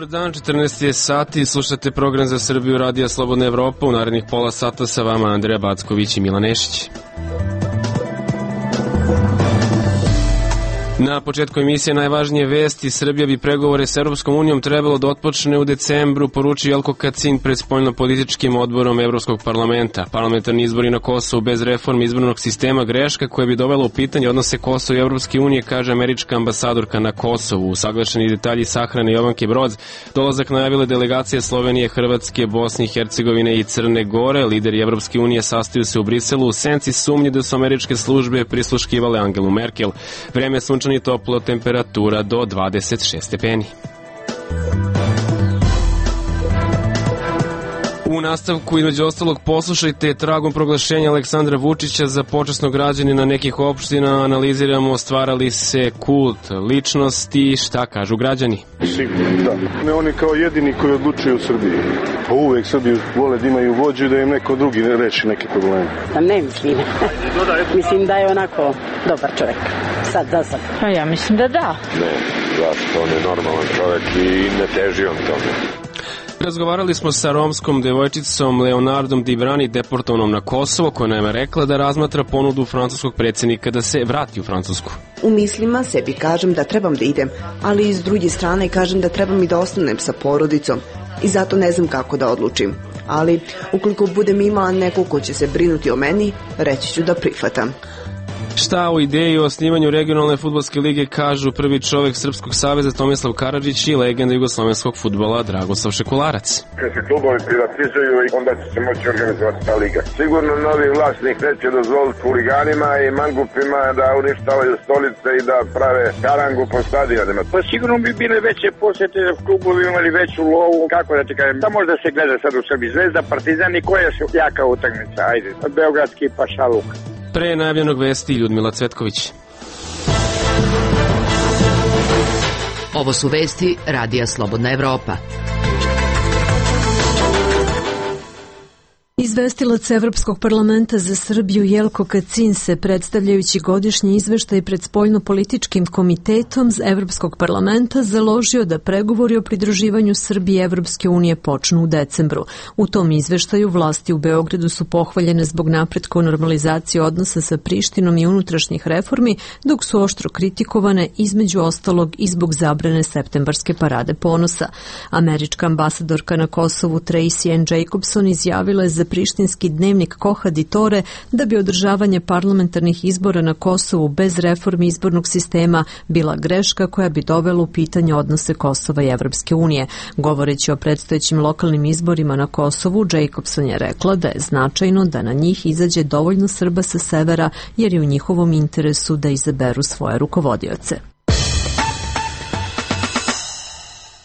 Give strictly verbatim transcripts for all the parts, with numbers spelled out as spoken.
Dobar dan, četrnaest je sati, slušate program za Srbiju Radija Slobodna Evropa. U narednih pola sata sa vama Andreja Backović i Milan Nešić. Na početku emisije najvažnije vesti. Srbija bi pregovore s Evropskom unijom trebalo da otpočne u decembru, poručio Jelko Kacin pred spoljnopolitičkim odborom Evropskog parlamenta. Parlamentarni izbori na Kosovu bez reforme izbornog sistema greška koja bi dovela u pitanje odnose Kosova i Evropske unije, kaže američka ambasadorka na Kosovu. Usaglašeni detalji sahrane Jovanke Broz, dolazak najavile delegacije Slovenije, Hrvatske, Bosne i Hercegovine i Crne Gore. Lideri Evropske unije sastaju se u Briselu u senci sumnje da su američke službe prisluškivale Angelu Merkel. Vreme sunčano i toplo, temperatura do dvadeset šest stepeni. U nastavku, između ostalog, poslušajte tragom proglašenja Aleksandra Vučića za počasnog građanina nekih opština. Analiziramo stvara li se kult ličnosti, šta kažu građani. Sigurno, da. Ne oni kao jedini koji odlučuju u Srbiji. Pa uvek Srbiju vole da imaju vođu i da im neko drugi ne reši neke probleme. Pa ne mislim. Mislim da je onako dobar čovjek. Sad, za sad. Pa ja mislim da da. Ne, zašto on je normalan čovjek i ne teži on tome. Razgovarali smo sa romskom devojčicom Leonardom Dibrani, deportovanom na Kosovo, koja nam je rekla da razmatra ponudu francuskog predsjednika da se vrati u Francusku. U mislima sebi kažem da trebam da idem, ali iz druge strane kažem da trebam i da ostanem sa porodicom i zato ne znam kako da odlučim. Ali ukoliko budem imala neko ko će se brinuti o meni, reći ću da prihvatam. Šta o ideji o osnivanju regionalne fudbalske lige kažu prvi čovjek Srpskog saveza Tomislav Karadžić i legenda jugoslovenskog fudbala Dragoslav Šekularac. Kad se klubovi privatizuju, onda će se moći organizovati ta liga. Sigurno novi vlasnik neće dozvoliti huliganima i mangupima da uništavaju stolice i da prave karangu po stadionima. Pa sigurno bi bile veće posjete, klubovi imali veću lovu, kako da ti kažem, da možda se gleda sad u Srbiji Zvezda, Partizan i koja su jaka utakmica, ajde, Beogradski pa Šaluk. Pre najavljenog vesti Ljudmila Cvetković. Ovo su vesti Radija Slobodna Evropa. Izvestilac Evropskog parlamenta za Srbiju Jelko Kacin se, predstavljajući godišnji izveštaj pred spoljnopolitičkim komitetom Evropskog parlamenta, založio da pregovori o pridruživanju Srbije Evropske unije počnu u decembru. U tom izveštaju vlasti u Beogradu su pohvaljene zbog napretka u normalizaciji odnosa sa Prištinom i unutrašnjih reformi, dok su oštro kritikovane između ostalog i zbog zabrane septembarske parade ponosa. Američka ambasadorka na Kosovu Tracy Ann Jacobson izjavila je za prištinski dnevnik Koha di Tore da bi održavanje parlamentarnih izbora na Kosovu bez reformi izbornog sistema bila greška koja bi dovela u pitanje odnose Kosova i Evropske unije. Govoreći o predstojećim lokalnim izborima na Kosovu, Jacobson je rekla da je značajno da na njih izađe dovoljno Srba sa severa jer je u njihovom interesu da izaberu svoje rukovodioce.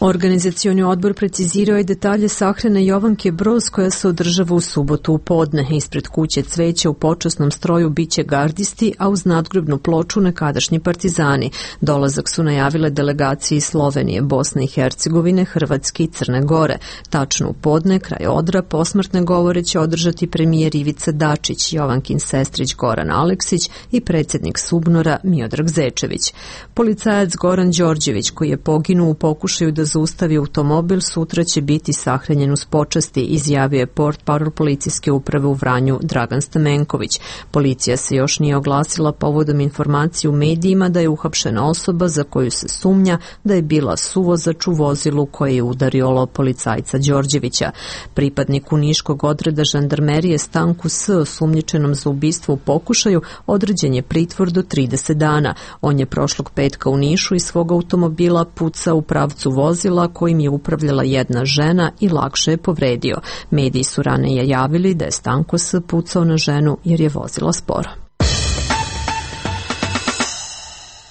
Organizacioni odbor precizirao je detalje sahrane Jovanke Broz koja se održava u subotu u podne. Ispred kuće cveća u počasnom stroju biće gardisti, a uz nadgrobnu ploču nekadašnji partizani. Dolazak su najavile delegacije iz Slovenije, Bosne i Hercegovine, Hrvatske i Crne Gore. Tačno u podne, kraj odra, posmrtne govore će održati premijer Ivica Dačić, Jovankin sestrić Goran Aleksić i predsjednik Subnora Miodrag Zečević. Policajac Goran Đorđević, koji je poginuo u pokušaju da zaustavi automobil, sutra će biti sahranjen uz počasti, izjavio je portparol policijske uprave u Vranju Dragan Stamenković. Policija se još nije oglasila povodom informacije u medijima da je uhapšena osoba za koju se sumnja da je bila suvozač u vozilu koje je udario policajca Đorđevića. Pripadniku niškog odreda žandarmerije Stanku S, osumnjičenom za ubistvo u pokušaju, određen je pritvor do trideset dana. On je prošlog petka u Nišu iz svog automobila pucao u pravcu vozila kojim je upravljala jedna žena i lakše je povredio. Mediji su ranije javili da je Stanko S pucao na ženu jer je vozila sporo.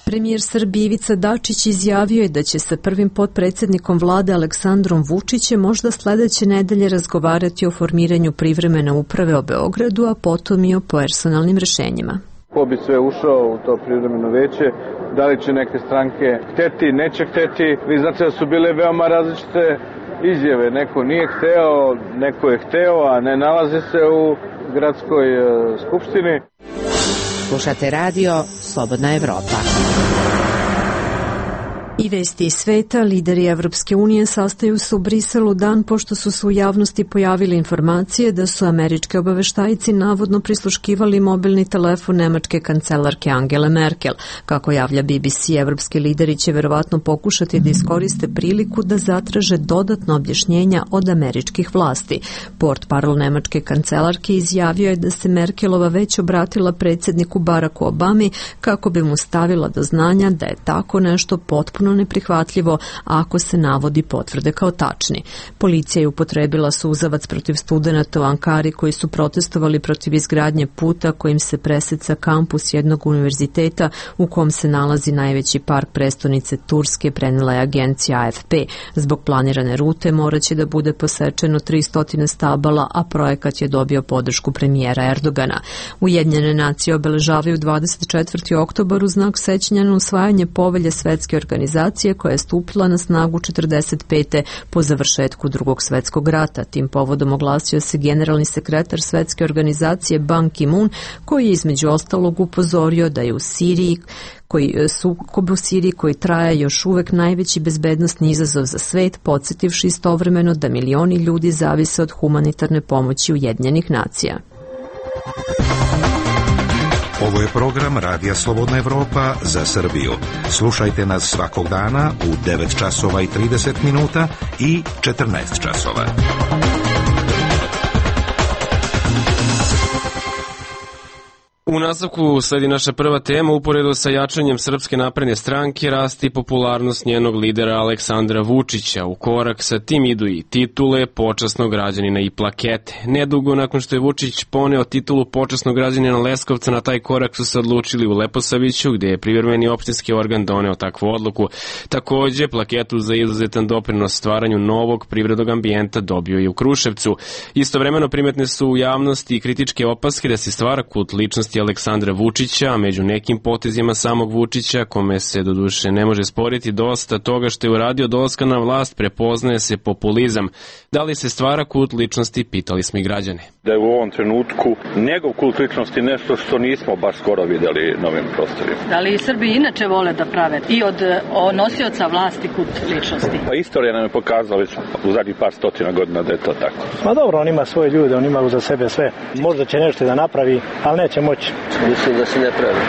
Premijer Srbije Ivica Dačić izjavio je da će sa prvim potpredsjednikom vlade Aleksandrom Vučićem možda sledeće nedelje razgovarati o formiranju privremene uprave o Beogradu, a potom i o personalnim rešenjima. Ko bi sve ušao u to privremeno veće, da li će neke stranke hteti, neće hteti. Vi znate da su bile veoma različite izjave. Neko nije hteo, neko je hteo, a ne nalazi se u gradskoj uh, skupštini. Slušate radio Slobodna Evropa. I vesti iz sveta, lideri Evropske unije sastaju se u Briselu dan pošto su se u javnosti pojavile informacije da su američki obaveštajci navodno prisluškivali mobilni telefon nemačke kancelarke Angele Merkel. Kako javlja B B C, evropski lideri će verovatno pokušati da iskoriste priliku da zatraže dodatno objašnjenja od američkih vlasti. Portparol nemačke kancelarke izjavio je da se Merkelova već obratila predsjedniku Baracku Obami kako bi mu stavila do znanja da je tako nešto potpuno neprihvatljivo ako se navodi potvrde kao tačni. Policija je upotrebila suzavac protiv studenata u Ankari koji su protestovali protiv izgradnje puta kojim se preseca kampus jednog univerziteta u kom se nalazi najveći park prestonice Turske, prenela je agencija A F P. Zbog planirane rute moraće da bude posečeno tristo stabala, a projekat je dobio podršku premijera Erdogana. Ujedinjene nacije obeležavaju dvadeset četvrti oktobar u znak sećanja na usvajanje povelje Svetske organizacije koja je stupila na snagu četrdeset pete po završetku Drugog svetskog rata. Tim povodom oglasio se generalni sekretar Svetske organizacije Ban Ki-moon, koji je između ostalog upozorio da je u Siriji koji sukob u Siriji koji traje još uvek najveći bezbednosni izazov za svet, podsjetivši istovremeno da milioni ljudi zavise od humanitarne pomoći Ujedinjenih nacija. Ovo je program Radija Slobodna Evropa za Srbiju. Slušajte nas svakog dana u devet časova i trideset minuta i četrnaest časova. U nastavku sledi naša prva tema. Uporedo sa jačanjem Srpske napredne stranke rasti popularnost njenog lidera Aleksandra Vučića. U korak sa tim idu i titule počasnog građanina i plakete. Nedugo nakon što je Vučić poneo titulu počasnog građanina Leskovca, na taj korak su se odlučili u Leposaviću, gde je privremeni opštinski organ doneo takvu odluku. Takođe, plaketu za izuzetan doprinos stvaranju novog privrednog ambijenta dobio i u Kruševcu. Istovremeno primetne su u javnosti kritičke opaske da se stvara kult ličnosti Aleksandra Vučića, a među nekim potezima samog Vučića, kome se doduše ne može sporiti dosta toga što je uradio dolaska na vlast, prepoznaje se populizam. Da li se stvara kult ličnosti, pitali smo i građane. Da je u ovom trenutku njegov kult ličnosti nešto što nismo baš skoro videli na ovim prostorima. Da li Srbi inače vole da prave i od nosioca vlasti kult ličnosti? Pa istorija nam je pokazala već u zadnjih par stotina godina da je to tako. Ma dobro, on ima svoje ljude, on ima za sebe sve. Možda će nešto da napravi, ali neće moći. Mislim da se ne pravi.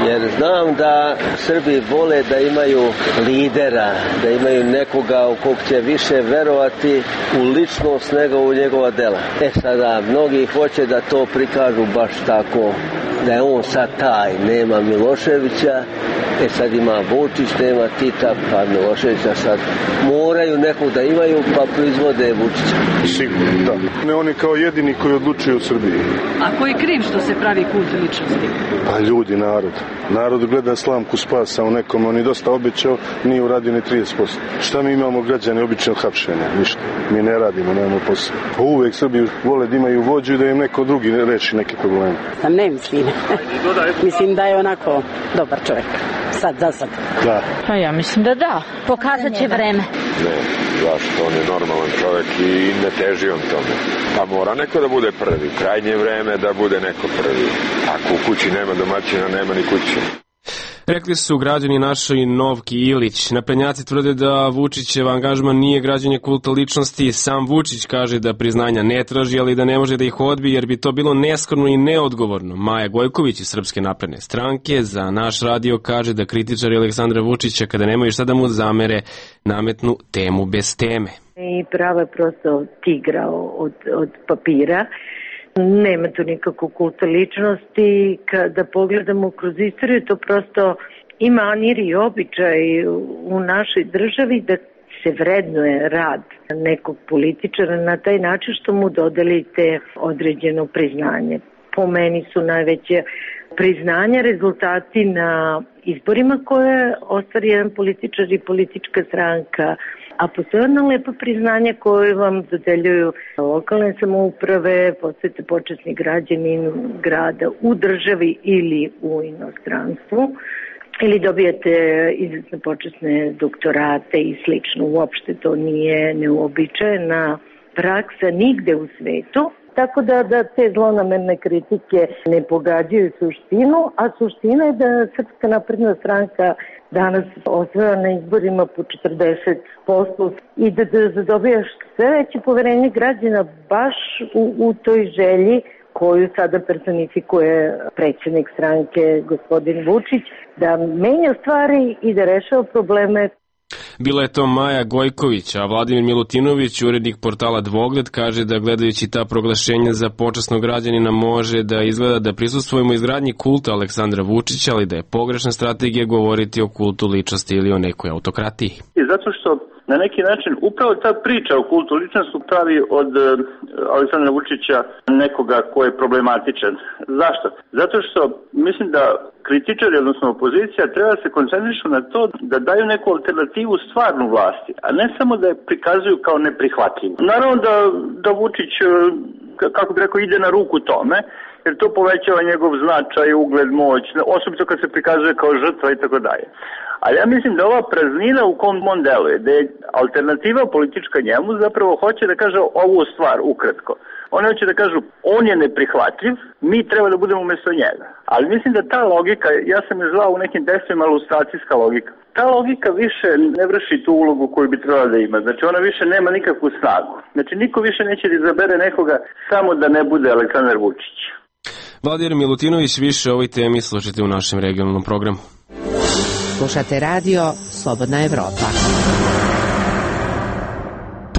Jer znam da Srbi vole da imaju lidera, da imaju nekoga u kog će više verovati u ličnost nego u njegova dela. E sada, mnogi hoće da to prikažu baš tako, da je on sad taj, nema Miloševića, e sad ima Vučić, nema Tita, pa Miloševića sad moraju nekog da imaju, pa proizvode Vučića. Sigurno, da. Ne oni kao jedini koji odlučuju u Srbiji. A ko je kriv što se pravi kult ličnosti? Pa ljudi, narod. Narod gleda slamku spasa u nekom, on je dosta obećao, nije uradio ni trideset posto. Šta mi imamo građane običnog hapšenja? Ništa. Mi ne radimo, nemamo posao. Pa uvek Srbi vole da imaju vođu i da im neko drugi reši neke probleme. Sam ne mislim. Mislim da je onako dobar čovjek. Sad, za sad. Da. Pa ja mislim da da. Pokazat će vreme. Ne, zašto? On je normalan čovjek i ne teži on tome. Pa mora neko da bude prvi. Krajnje vreme da bude neko prvi. Ako u kući nema domaćina, nema ni kuće. Rekli su građani našoj Novki Ilić. Naprednjaci tvrde da Vučićev angažman nije građenje kulta ličnosti. Sam Vučić kaže da priznanja ne traži, ali da ne može da ih odbije jer bi to bilo neskromno i neodgovorno. Maja Gojković iz Srpske napredne stranke za naš radio kaže da kritičari Aleksandra Vučića, kada nemaju šta da mu zamere, nametnu temu bez teme. I pravo je prosto tigra od, od papira. Nema tu nikakvu kulta ličnosti. Kada pogledamo kroz istoriju, to prosto ima manir i običaj u našoj državi da se vrednuje rad nekog političara na taj način što mu dodelite određeno priznanje. Po meni su najveće priznanja rezultati na izborima koje ostvari jedan političar i politička stranka. A postoje ono lepo priznanje koje vam dodeljuju lokalne samouprave, postajete počasni građanin grada u državi ili u inostranstvu, ili dobijete izuzetno počasne doktorate i slično. Uopšte to nije neuobičajena praksa nigde u svetu. tako da, da te zlonamerne kritike ne pogađaju suštinu, a suština je da Srpska napredna stranka danas osvaja na izborima po četrdeset posto i da, da dobijaš sve veće poverenje građana baš u, u toj želji koju sada personifikuje predsjednik stranke gospodin Vučić, da menja stvari i da rešava probleme. Bila je to Maja Gojković, a Vladimir Milutinović, urednik portala Dvogled, kaže da gledajući ta proglašenja za počasnog građanina može da izgleda da prisustvujemo izgradnji kulta Aleksandra Vučića, ali da je pogrešna strategija govoriti o kultu ličnosti ili o nekoj autokratiji. I zato što na neki način upravo ta priča o kultu ličnosti pravi od uh, Aleksandra Vučića nekoga ko je problematičan. Zašto? Zato što mislim da kritičari, odnosno opozicija, treba da se koncentrišu na to da daju neku alternativu stvarnu vlasti, a ne samo da je prikazuju kao neprihvatljivu. Naravno da, da Vučić, kako bi rekao, ide na ruku tome, jer to povećava njegov značaj, ugled, moć, osobito kad se prikazuje kao žrtva i tako dalje. Ali ja mislim da ova praznina u kom on deluje, da je alternativa politička njemu, zapravo hoće da kaže ovu stvar ukratko. Oni hoće da kažu, on je neprihvatljiv, mi treba da budemo umjesto njega. Ali mislim da ta logika, ja sam je zvao u nekim tekstovima ilustracijska logika, ta logika više ne vrši tu ulogu koju bi trebala da ima. Znači ona više nema nikakvu snagu. Znači niko više neće da izabere nekoga samo da ne bude Aleksandar Vučić. Vladimir Milutinović, više o ovoj temi slušajte u našem regionalnom programu. Slušate radio Slobodna Evropa.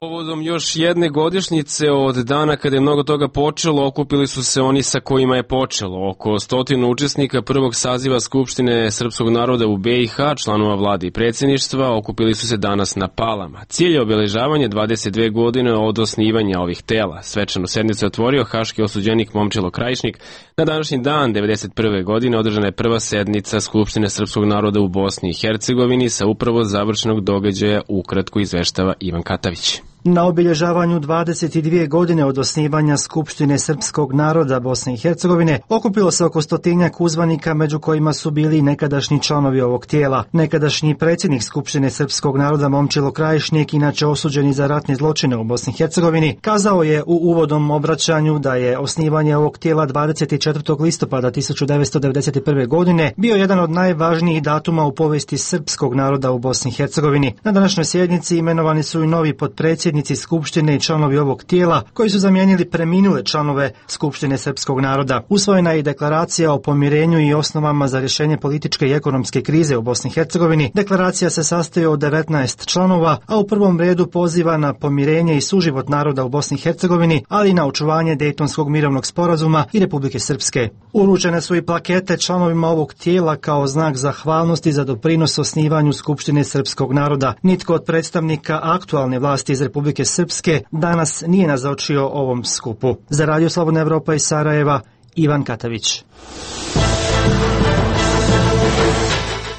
Povodom još jedne godišnjice od dana kada je mnogo toga počelo, okupili su se oni sa kojima je počelo. Oko stotinu učesnika prvog saziva Skupštine srpskog naroda u be i ha, članova vlade i predsjedništva, okupili su se danas na Palama. Cilj je obeležavanje dvadeset dve godine od osnivanja ovih tela. Svečanu sednicu je otvorio haški osuđenik Momčilo Krajišnik. Na današnji dan, devedeset prve godine, održana je prva sednica Skupštine srpskog naroda u Bosni i Hercegovini sa upravo završenog događaja, ukratko izveštava Ivan Katavić. Na obilježavanju dvadeset dvije godine od osnivanja Skupštine srpskog naroda Bosne i Hercegovine okupilo se oko stotinjak uzvanika, među kojima su bili nekadašnji članovi ovog tijela. Nekadašnji predsjednik Skupštine srpskog naroda Momčilo Krajišnik, inače osuđeni za ratne zločine u Bosni i Hercegovini, kazao je u uvodnom obraćanju da je osnivanje ovog tijela dvadeset četvrtog listopada tisuću devetsto devedeset prve. godine bio jedan od najvažnijih datuma u povijesti srpskog naroda u Bosni i Hercegovini. Na današnjoj sjednici imenovani su i novi potpredsjednici Skupštine i članovi ovog tijela koji su zamijenili preminule članove Skupštine srpskog naroda. Usvojena je i deklaracija o pomirenju i osnovama za rješenje političke i ekonomske krize u Bosni i Hercegovini. Deklaracija se sastoji od devetnaest članova, a u prvom redu poziva na pomirenje i suživot naroda u Bosni i Hercegovini, ali i na očuvanje Dejtonskog mirovnog sporazuma i Republike Srpske. Uručene su i plakete članovima ovog tijela kao znak zahvalnosti za doprinos osnivanju Skupštine srpskog naroda. Nitko od predstavnika aktualne vlasti iz Republike Srpske danas nije nazočio ovom skupu. Za Radio Slobodna Evropa iz Sarajeva, Ivan Katavić.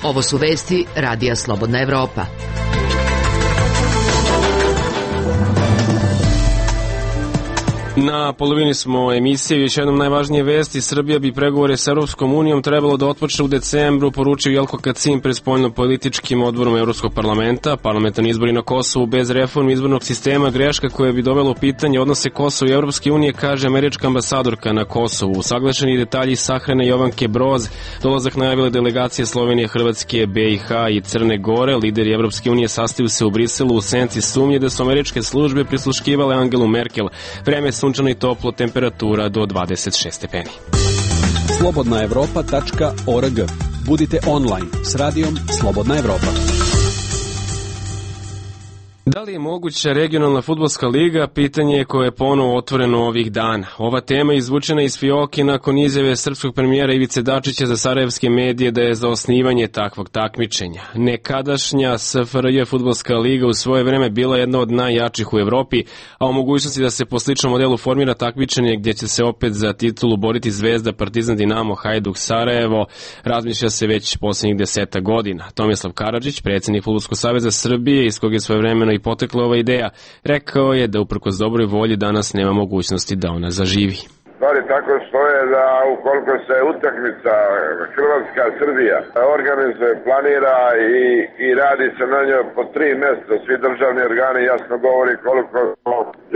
Ovo su vesti Radija Slobodna Evropa. Na polovini smo emisije, još jednom najvažnije vesti. Srbija bi pregovore s Europskom unijom trebalo da otpočne u decembru, poručio Jelko Kacin pred spoljno-političkim odborom Evropskog parlamenta. Parlamentarni izbori na Kosovu bez reforme izbornog sistema, greška koja bi dovela u pitanje odnose Kosova i Evropske unije, kaže američka ambasadorka na Kosovu. Usaglašeni detalji sahrane Jovanke Broz, dolazak najavile delegacije Slovenije, Hrvatske, be i ha i Crne Gore. Lideri Evropske unije sastaju se u Briselu u senci sumnje da su američke službe prisluškivale Angelu Merkel. Vreme sunčano i toplo, temperatura do dvadeset šest stepeni. slobodna evropa tačka org. Budite online s radijom Slobodna Evropa. Da li je moguća regionalna fudbalska liga? Pitanje je koje je ponovo otvoreno ovih dana. Ova tema je izvučena iz fioke nakon izjave srpskog premijera Ivice Dačića za sarajevske medije da je za osnivanje takvog takmičenja. Nekadašnja es ef er je fudbalska liga u svoje vreme bila jedna od najjačih u Evropi, a o mogućnosti da se po sličnom modelu formira takmičenje gdje će se opet za titulu boriti Zvezda, Partizan, Dinamo, Hajduk, Sarajevo, razmišlja se već posljednjih deseta godina. Tomislav Karadžić, predsjednik Fudbalskog saveza Srbije, iz kog je svojevremeno i potekla ova ideja, rekao je da uprkos dobroj volji danas nema mogućnosti da ona zaživi. Stvari tako stoje da ukoliko se utakmica Hrvatska-Srbija organizuje, planira i, i radi se na njoj po tri mjeseca, svi državni organi jasno govori koliko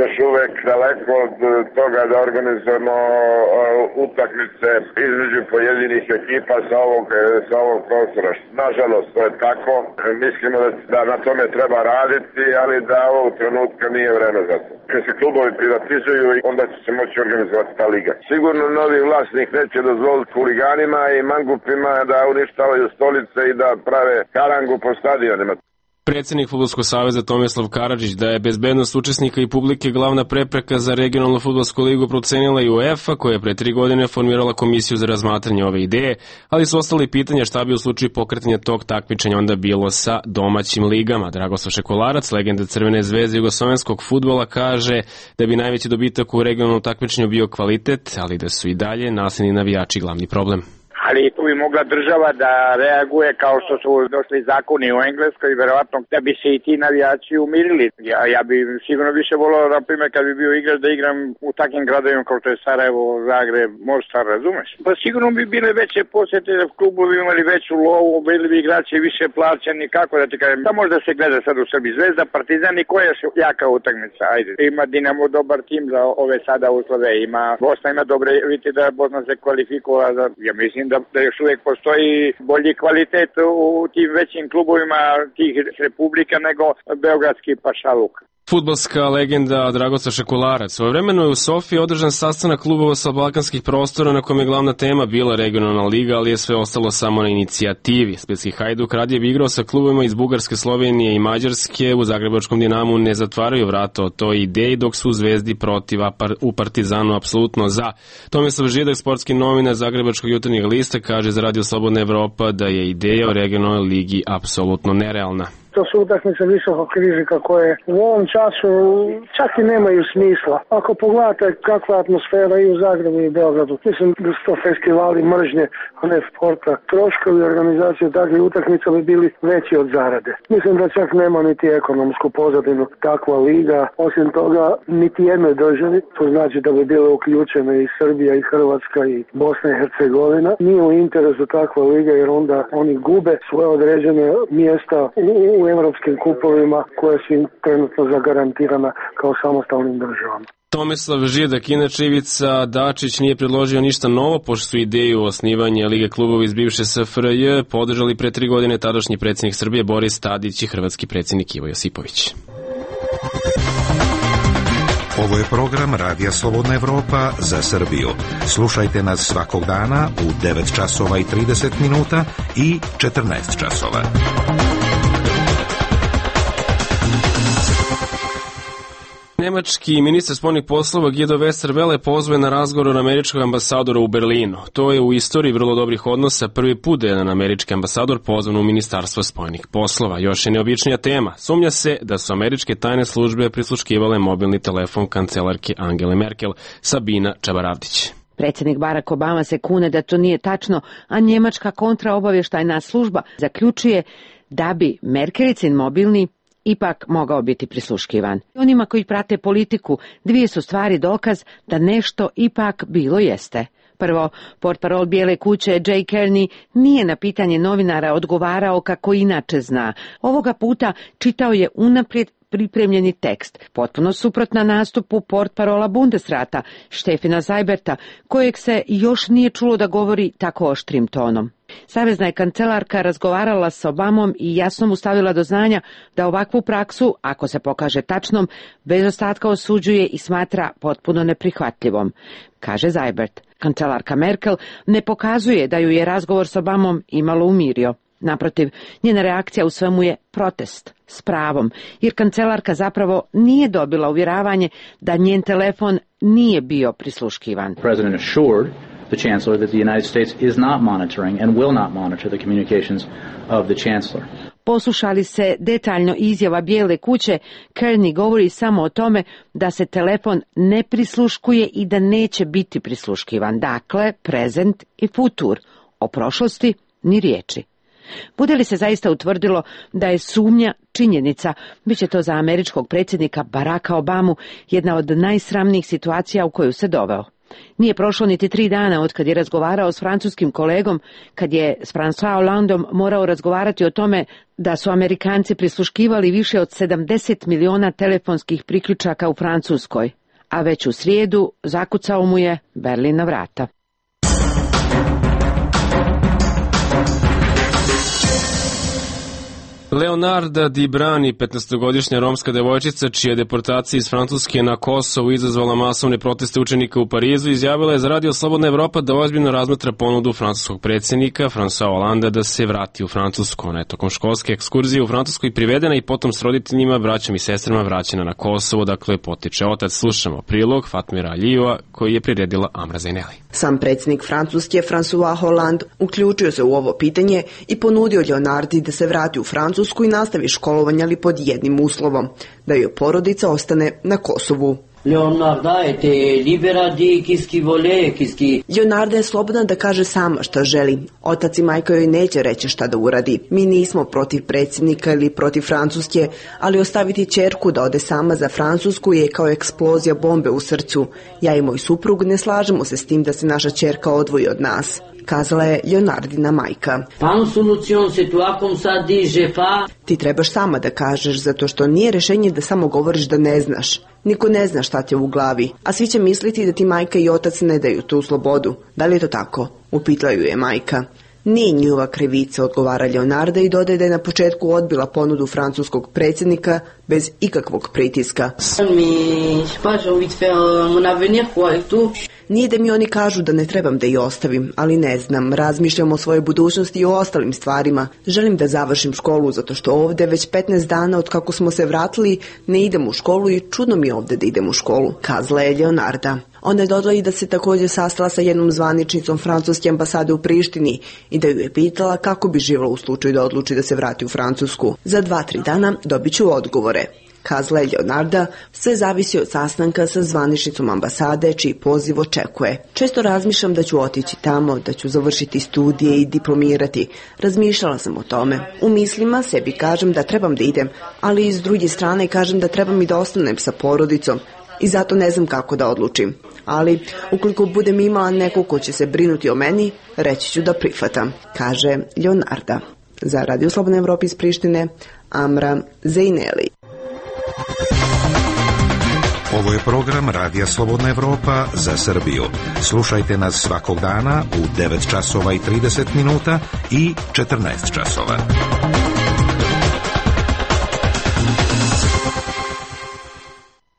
još uvek daleko od toga da organizujemo utakmice između pojedinih ekipa sa ovog, sa ovog prostora. Nažalost, to je tako. Mislimo da, da na tome treba raditi, ali da ovog trenutka nije vreme za to. Kad se klubovi privatizuju, onda će se moći organizovati ta liga. Sigurno novi vlasnik neće dozvoliti huliganima i mangupima da uništavaju stolice i da prave karangu po stadionima. Predsjednik Fudbalskog saveza Tomislav Karadžić da je bezbednost učesnika i publike glavna prepreka za regionalnu fudbalsku ligu procenila i UEFA, koja je pre tri godine formirala komisiju za razmatranje ove ideje, ali su ostali pitanja šta bi u slučaju pokretanja tog takmičenja onda bilo sa domaćim ligama. Dragoslav Šekolarac, legenda Crvene zvezde jugoslovenskog fudbala, kaže da bi najveći dobitak u regionalnom takmičenju bio kvalitet, ali da su i dalje nasilni navijači glavni problem. Ali tu bi mogla država da reaguje kao što su došli zakoni u Engleskoj, verovatno da bi se i ti navijači umirili. Ja, ja bi sigurno više volao, na primjer, kad bi bio igrač da igram u takvim gradovima kao što je Sarajevo, Zagreb, Mostar, razumeš? Pa sigurno bi bile veće posjete, klubovi imali veću lovu, bili bi igrači više plaćeni, kako da ti kažem. Da možda se gleda sad u Srbiji Zvezda, Partizan i koja je jaka utakmica, ajde. Ima Dinamo dobar tim za ove sada uslove, ima Bosna ima dobre, vidite da je Bosna se kvalifikovala, za, ja mislim da da još uvijek postoji bolji kvalitet u tim većim klubovima tih republika nego beogradski pašaluk. Fudbalska legenda Dragoslav Šekolarac. Svojevremeno je u Sofiji održan sastanak klubova sa balkanskih prostora na kojem je glavna tema bila regionalna liga, ali je sve ostalo samo na inicijativi. Splitski Hajduk radije bi igrao sa klubovima iz Bugarske, Slovenije i Mađarske. U Zagrebačkom Dinamu ne zatvaraju vrata o toj ideji, dok su u Zvezdi protiv, a u Partizanu apsolutno za. Tomislav Židak, sportski novinar Zagrebačkog jutarnjeg lista, kaže za Radio Slobodna Evropa da je ideja o regionalnoj ligi apsolutno nerealna. To su utakmice visokog rizika koje u ovom času čak i nemaju smisla. Ako pogledate kakva je atmosfera i u Zagrebu i u Beogradu, mislim da su to festivali mržnje, a ne sporta. Troškovi organizacije takvih utakmica bi bili veći od zarade. Mislim da čak nema niti ekonomsku pozadinu takva liga. Osim toga, niti jednoj državi, to znači da bi bile uključene i Srbija i Hrvatska i Bosna i Hercegovina, nije u interesu takva liga jer onda oni gube svoje određene mjesta u u evropskim kupovima koje su im trenutno zagarantirana kao samostalnim državama. Tomislav Židak, inače Ivica Dačić nije predložio ništa novo, pošto su ideju osnivanja Lige klubova iz bivše S F R J podržali pre tri godine tadašnji predsjednik Srbije Boris Tadić i hrvatski predsjednik Ivo Josipović. Ovo je program Radija Slobodna Evropa za Srbiju. Slušajte nas svakog dana u devet časova i trideset minuta i četrnaest časova. Nemački ministar spoljnih poslova Guido Westerwelle pozove na razgovor američkog ambasadora u Berlinu. To je u istoriji vrlo dobrih odnosa prvi put da je jedan američki ambasador pozvan u Ministarstvo spoljnih poslova. Još je neobičnija tema. Sumnja se da su američke tajne službe prisluškivale mobilni telefon kancelarke Angele Merkel. Sabina Čabaravdić. Predsjednik Barack Obama se kune da to nije tačno, a njemačka kontraobavještajna služba zaključuje da bi Merkelicin mobilni ipak mogao biti prisluškivan. Onima koji prate politiku, dvije su stvari dokaz da nešto ipak bilo jeste. Prvo, portparol Bijele kuće Jay Carney nije na pitanje novinara odgovarao kako inače zna. Ovoga puta čitao je unaprijed pripremljeni tekst, potpuno suprotna nastupu portparola Bundesrata, Stefana Seiberta, kojeg se još nije čulo da govori tako oštrim tonom. Savezna je kancelarka razgovarala s Obamom i jasno mu stavila do znanja da ovakvu praksu, ako se pokaže tačnom, bez ostatka osuđuje i smatra potpuno neprihvatljivom, kaže Seibert. Kancelarka Merkel ne pokazuje da ju je razgovor s Obamom imalo umirio. Naprotiv, njena reakcija u svemu je protest, s pravom, jer kancelarka zapravo nije dobila uvjeravanje da njen telefon nije bio prisluškivan. President assured the Chancellor that the United States is not monitoring and will not monitor the communications of the Chancellor. Poslušali se detaljno izjava Bijele kuće, Carney govori samo o tome da se telefon ne prisluškuje i da neće biti prisluškivan. Dakle, prezent i futur. O prošlosti ni riječi. Bude li se zaista utvrdilo da je sumnja činjenica, bit će to za američkog predsjednika Baracka Obamu jedna od najsramnijih situacija u koju se doveo. Nije prošlo niti tri dana od kad je razgovarao s francuskim kolegom, kad je s François Hollandom morao razgovarati o tome da su Amerikanci prisluškivali više od sedamdeset miliona telefonskih priključaka u Francuskoj, a već u srijedu zakucao mu je Berlin na vrata. Leonarda Di Brani, petnaestogodišnja romska devojčica, čija deportacija iz Francuske na Kosovu izazvala masovne proteste učenika u Parizu, izjavila je za Radio Slobodna Evropa da ozbiljno razmatra ponudu francuskog predsjednika François Hollanda da se vrati u Francusku. Ona je tokom školske ekskurzije u Francuskoj privedena i potom s roditeljima, braćom i sestrama vraćena na Kosovo, dakle potiče otac. Slušamo prilog Fatmira Alijeva koji je priredila Amra Zaineli. Sam predsjednik Francuske François Hollande uključio se u ovo pitanje i ponudio Leonardi da se vrati u Francusku i nastavi školovanje, ali pod jednim uslovom, da joj porodica ostane na Kosovu. Leonarda je slobodna da kaže sama šta želi. Otac i majka joj neće reći šta da uradi. Mi nismo protiv predsjednika ili protiv Francuske, ali ostaviti ćerku da ode sama za Francusku je kao eksplozija bombe u srcu. Ja i moj suprug ne slažemo se s tim da se naša ćerka odvoji od nas, kazala je Leonardina majka. Ti trebaš sama da kažeš, zato što nije rješenje da samo govoriš da ne znaš. Niko ne zna šta ti je u glavi, a svi će misliti da ti majka i otac ne daju tu slobodu. Da li je to tako? Upitla ju je majka. Nije njihova krivica, odgovara Leonarda i dodaje da je na početku odbila ponudu francuskog predsjednika bez ikakvog pritiska. Nije da mi oni kažu da ne trebam da ih ostavim, ali ne znam, razmišljam o svojoj budućnosti i o ostalim stvarima. Želim da završim školu, zato što ovdje već petnaest dana od kako smo se vratili ne idem u školu i čudno mi je ovdje da idem u školu, kazala je Leonarda. Ona je dodala i da se također sastala sa jednom zvaničnicom francuske ambasade u Prištini i da ju je pitala kako bi živjela u slučaju da odluči da se vrati u Francusku. Za dva, tri dana dobit ću odgovore, kazala je Leonarda. Sve zavisi od sastanka sa zvaničnicom ambasade, čiji poziv očekuje. Često razmišljam da ću otići tamo, da ću završiti studije i diplomirati. Razmišljala sam o tome. U mislima sebi kažem da trebam da idem, ali i s druge strane kažem da trebam i da ostanem sa porodicom. I zato ne znam kako da odlučim. Ali, ukoliko budem imala neko ko će se brinuti o meni, reći ću da prihvatam, kaže Leonarda. Za Radio Slobodna Evropa iz Prištine, Amra Zaineli. Ovo je program Radija Slobodna Evropa za Srbiju. Slušajte nas svakog dana u devet časova i trideset minuta i četrnaest časova.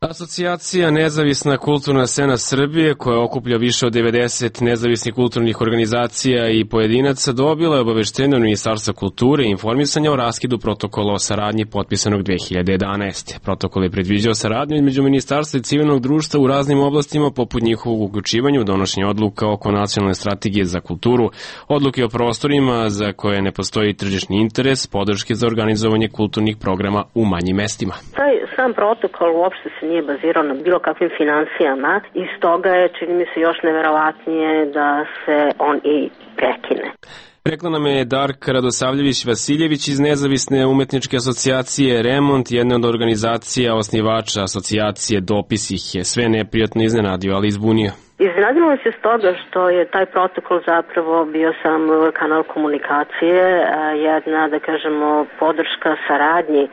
Asocijacija Nezavisna kulturna scena Srbije, koja okuplja više od devedeset nezavisnih kulturnih organizacija i pojedinaca, dobila je obaveštenje od Ministarstva kulture i informisanja o raskidu protokola o saradnji potpisanog dve hiljade jedanaeste. Protokol je predviđao saradnju između Ministarstva i civilnog društva u raznim oblastima, poput njihovog uključivanja u donošenje odluka oko nacionalne strategije za kulturu, odluke o prostorima za koje ne postoji tržišni interes, podrške za organizovanje kulturnih programa u manjim mestima. Taj sam protokol uopšte se nije bazirao na bilo kakvim financijama i stoga je, čini mi se, još neverovatnije da se on i prekine. Rekla nam je Darka Radosavljević-Vasiljević iz Nezavisne umetničke asocijacije Remont, jedna od organizacija osnivača asocijacije. Dopis ih je sve neprijatno iznenadio, ali izbunio. Iznenadilo se s toga što je taj protokol zapravo bio sam kanal komunikacije, jedna, da kažemo, podrška saradnji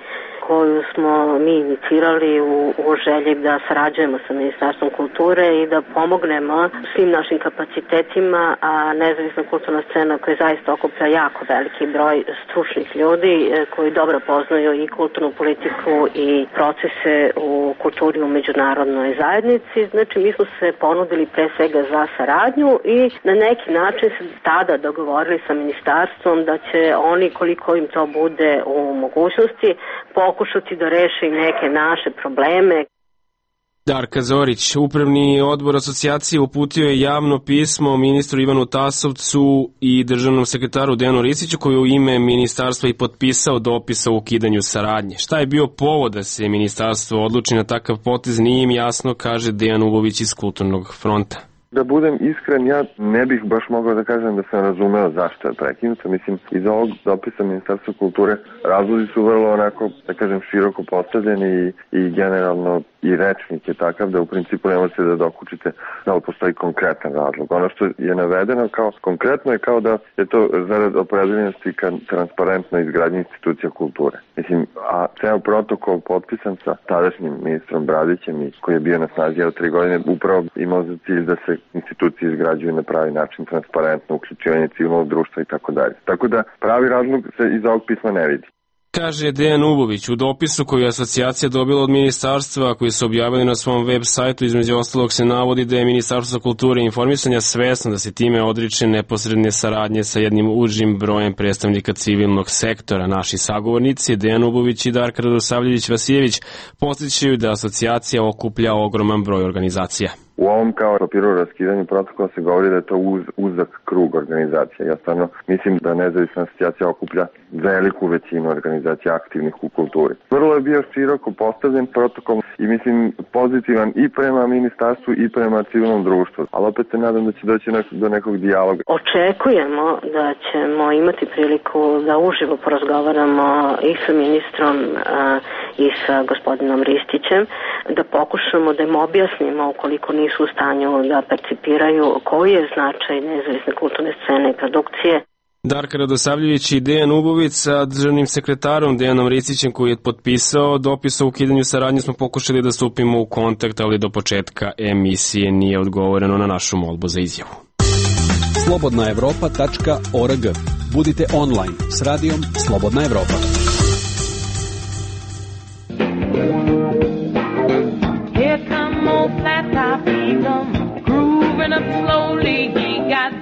koju smo mi inicirali u, u želji da sarađujemo sa Ministarstvom kulture i da pomognemo svim našim kapacitetima, a nezavisna kulturna scena koja zaista okuplja jako veliki broj stručnih ljudi koji dobro poznaju i kulturnu politiku i procese u kulturi u međunarodnoj zajednici. Znači, mi smo se ponudili pre svega za saradnju i na neki način se tada dogovorili sa Ministarstvom da će oni, koliko im to bude u mogućnosti, pokušati da reše neke naše probleme. Darka Zorić, upravni odbor asocijacije, uputio je javno pismo ministru Ivanu Tasovcu i državnom sekretaru Dejanu Risiću, koji je u ime ministarstva i potpisao dopis o ukidanju saradnje. Šta je bio povod da se ministarstvo odluči na takav potez, nije im jasno, kaže Dejan Ulović iz Kulturnog fronta. Da budem iskren, ja ne bih baš mogao da kažem da sam razumeo zašto je prekinuto. Mislim, iz ovog dopisa Ministarstva kulture razlozi su vrlo onako, da kažem, široko postavljeni i, i generalno i rečnik je takav da u principu ne možete da dokučite da li postoji konkretan razlog. Ono što je navedeno kao konkretno je kao da je to zarad opredeljenosti ka transparentnoj izgradnji institucija kulture. Mislim, a ceo protokol potpisan sa tadašnjim ministrom Bradićem i koji je bio na snazi od tri godine upravo imao za cilj da se institucije izgrađuju na pravi način, transparentno, uključivanje civilnog društva i tako dalje. Tako da pravi razlog se iz ovog pisma ne vidi. Kaže Dejan Ubović u dopisu koju je asocijacija dobila od ministarstva, koji su objavili na svom web sajtu. Između ostalog se navodi da je Ministarstvo kulture i informisanja svesno da se time odriče neposredne saradnje sa jednim užim brojem predstavnika civilnog sektora. Naši sagovornici Dejan Ubović i Darka Radosavljević-Vasijević podsjećaju da asocijacija okuplja ogroman broj organizacija. U ovom kao papiru o raskidanju protokola se govori da je to uz, uzak krug organizacija. Ja stvarno mislim da nezavisna asocijacija okuplja veliku većinu organizacija aktivnih u kulturi. Vrlo je bio široko postavljen protokol i mislim pozitivan i prema ministarstvu i prema civilnom društvu. Ali opet se nadam da će doći do nekog dijaloga. Očekujemo da ćemo imati priliku da uživo porazgovaramo i sa ministrom a, i sa gospodinom Ristićem, da pokušamo da im objasnimo ukoliko nisu u stanju da percipiraju koji je značaj nezavisne kulturne scene i produkcije. Darka Radosavljević i Dejan Ubović sa državnim sekretarom Dejanom Ristićem, koji je potpisao dopis o ukidanju saradnje, smo pokušali da stupimo u kontakt, ali do početka emisije nije odgovoreno na našu molbu za izjavu. slobodna evropa tačka org. Budite online s radijom Slobodna Evropa.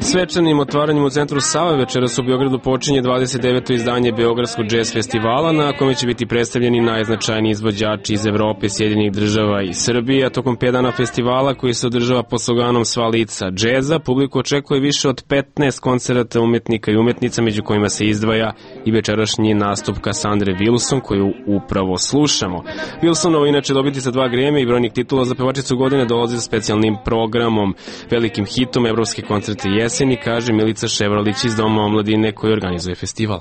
Svečanim otvaranjem u centru Save večeras u Beogradu počinje dvadeset deveto izdanje Beogradskog džez festivala, na kome će biti predstavljeni najznačajniji izvođači iz Evrope, Sjedinjenih Država i Srbije. A tokom pet dana festivala, koji se održava pod sloganom Sva lica džeza, publiku očekuje više od petnaest koncerata umetnika i umetnica, među kojima se izdvaja i večerašnji nastup Cassandre Wilson, koju upravo slušamo. Wilsonova inače dobiti sa dva Grammy i brojnih titula za pevačicu godine dolazi sa specijalnim programom, velikim hitom Evropske koncerte jeseni, kaže Milica Ševralić iz Doma omladine koji organizuje festival.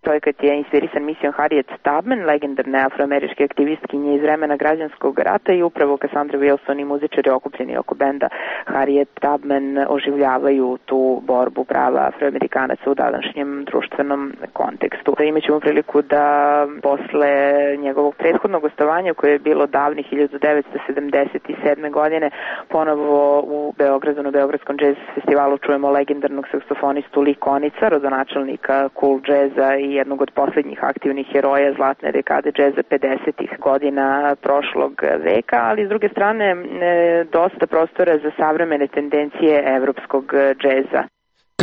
Projekat je inspirisan misijom Harriet Tubman, legendarne afroameričke aktivistkinje iz vremena građanskog rata, i upravo Cassandra Wilson i muzičari okupljeni oko benda Harriet Tubman oživljavaju tu borbu prava afroamerikanaca u današnjem društvenom kontekstu. Imaćemo priliku da posle njegovog prethodnog gostovanja, koje je bilo davne hiljadu devetsto sedamdeset sedme godine, ponovo u Beogradu na Beogradskom džez festivalu čujemo legendarnog saksofonistu Lee Konica, rodonačelnika cool džeza i jednog od poslednjih aktivnih heroja zlatne dekade džeza pedesetih godina prošlog veka, ali s druge strane dosta prostora za savremene tendencije evropskog džeza.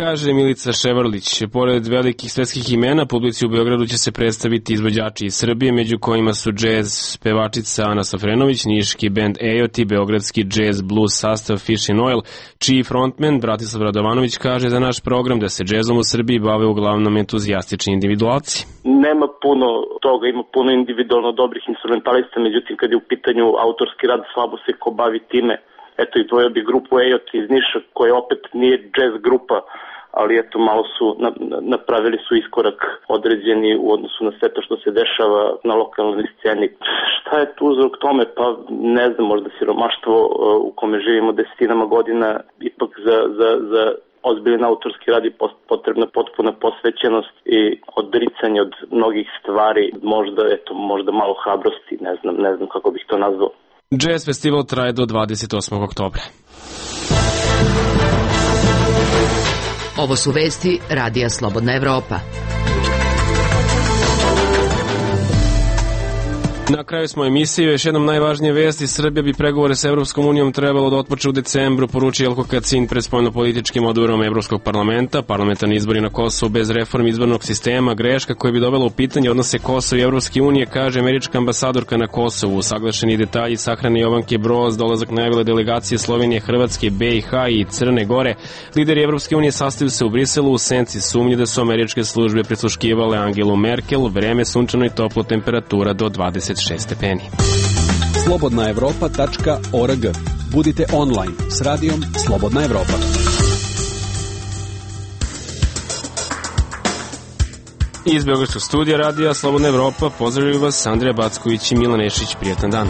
Kaže Milica Ševrlić. Pored velikih svetskih imena, publici u Beogradu će se predstaviti izvođači iz Srbije, među kojima su džez pevačica Ana Safrenović, niški bend Ejoti, beogradski džez blues sastav Fish and Oil, čiji frontman Bratislav Radovanović kaže za naš program da se džezom u Srbiji bave uglavnom entuzijastični individualci. Nema puno toga, ima puno individualno dobrih instrumentalista, međutim kad je u pitanju autorski rad, slabo se ko bavi time. Eto, i dvojio bi grupu Ejoti iz Niša, koja opet nije jazz grupa, ali eto, malo su napravili su iskorak određeni u odnosu na sve to što se dešava na lokalnoj sceni. Šta je tu uzrok tome? Pa ne znam, možda siromaštvo u kome živimo desetinama godina, ipak za, za, za ozbiljan autorski rad je potrebna potpuna posvećenost i odricanje od mnogih stvari, možda, eto, možda malo hrabrosti, ne znam, ne znam kako bih to nazvao. Jazz festival traje do dvadeset osmog oktobra. Ovo su vesti Radija Slobodna Evropa. Na kraju smo emisije, još jednom najvažnije vesti. Srbija bi pregovore sa Evropskom unijom trebalo da otpočne u decembru, poručio Jelko Kacin pred spoljnopolitičkim odborom Evropskog parlamenta. Parlamentarni izbori na Kosovu bez reformi izbornog sistema, greška koja bi dovela u pitanje odnose Kosova i Evropske unije, kaže američka ambasadorka na Kosovu. Usaglašeni detalji sahrane Jovanke Broz, dolazak najavile delegacije Slovenije, Hrvatske, B i H i Crne Gore. Lideri Evropske unije sastaju se u Briselu u senci sumnje da su američke službe prisluškivale Angelu Merkel, vreme sunčano i toplo, temperatura do dvadeset šest stepeni. slobodna evropa tačka org. Budite online s radijom Slobodna Evropa. Iz Beogradskog studija radija Slobodna Evropa pozdravljaju vas Andrija Backović i Milan Ešić. Prijetan dan.